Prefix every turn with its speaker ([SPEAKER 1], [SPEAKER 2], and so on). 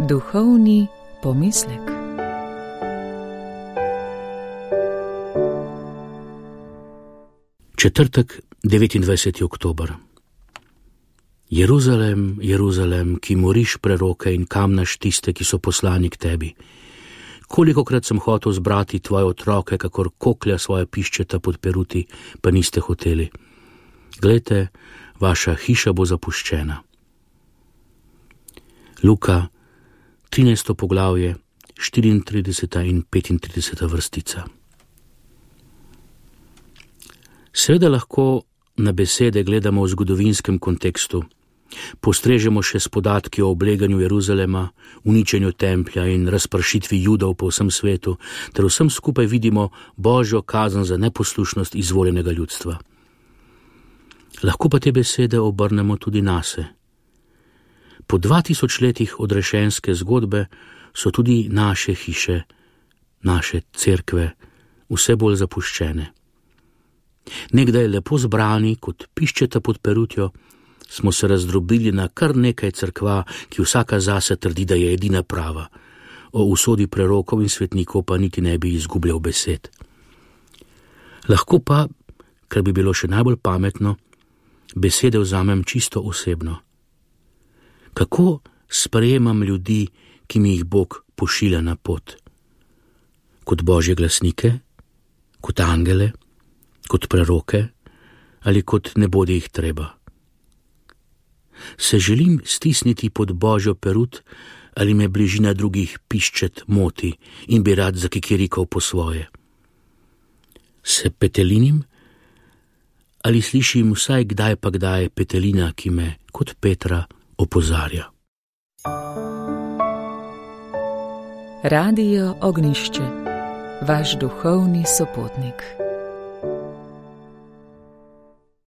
[SPEAKER 1] Duhovni pomislek.
[SPEAKER 2] Četrtek, 29. oktober. Jeruzalem, Jeruzalem, ki moriš preroke in kamnaš tiste, ki so poslani k tebi. Kolikokrat sem hotel zbrati tvoje otroke, kakor koklja svoje piščeta pod peruti, pa niste hoteli. Glejte, vaša hiša bo zapuščena. Luka, 13. poglavje, 34. in 35. vrstica. Seveda lahko na besede gledamo v zgodovinskem kontekstu. Postrežemo še s podatki o obleganju Jeruzalema, uničenju templja in razpršitvi Judov po vsem svetu, ter vsem skupaj vidimo Božjo kazen za neposlušnost izvoljenega ljudstva. Lahko pa te besede obrnemo tudi nase. Po 2000 letih odrešenske zgodbe so tudi naše hiše, naše cerkve vse bolj zapuščene. Nekdaj lepo zbrani, kot piščeta pod perutjo, smo se razdrobili na kar nekaj cerkva, ki vsaka zase trdi, da je edina prava. O usodi prerokov in svetnikov pa niti ne bi izgubljal besed. Lahko pa, kar bi bilo še najbolj pametno, besede vzamem čisto osebno. Kako sprejemam ljudi, ki mi jih Bog pošilja na pot? Kot Božje glasnike? Kot angele? Kot preroke? Ali kot ne bodi jih treba? Se želim stisniti pod Božjo perut ali me bližina drugih piščet moti in bi rad zakikirikal po svoje? Se petelinim? Ali slišim vsaj kdaj pa kdaj petelina, ki me kot Petra opozarja?
[SPEAKER 1] Radio Ognjišče, vaš duhovni sopotnik.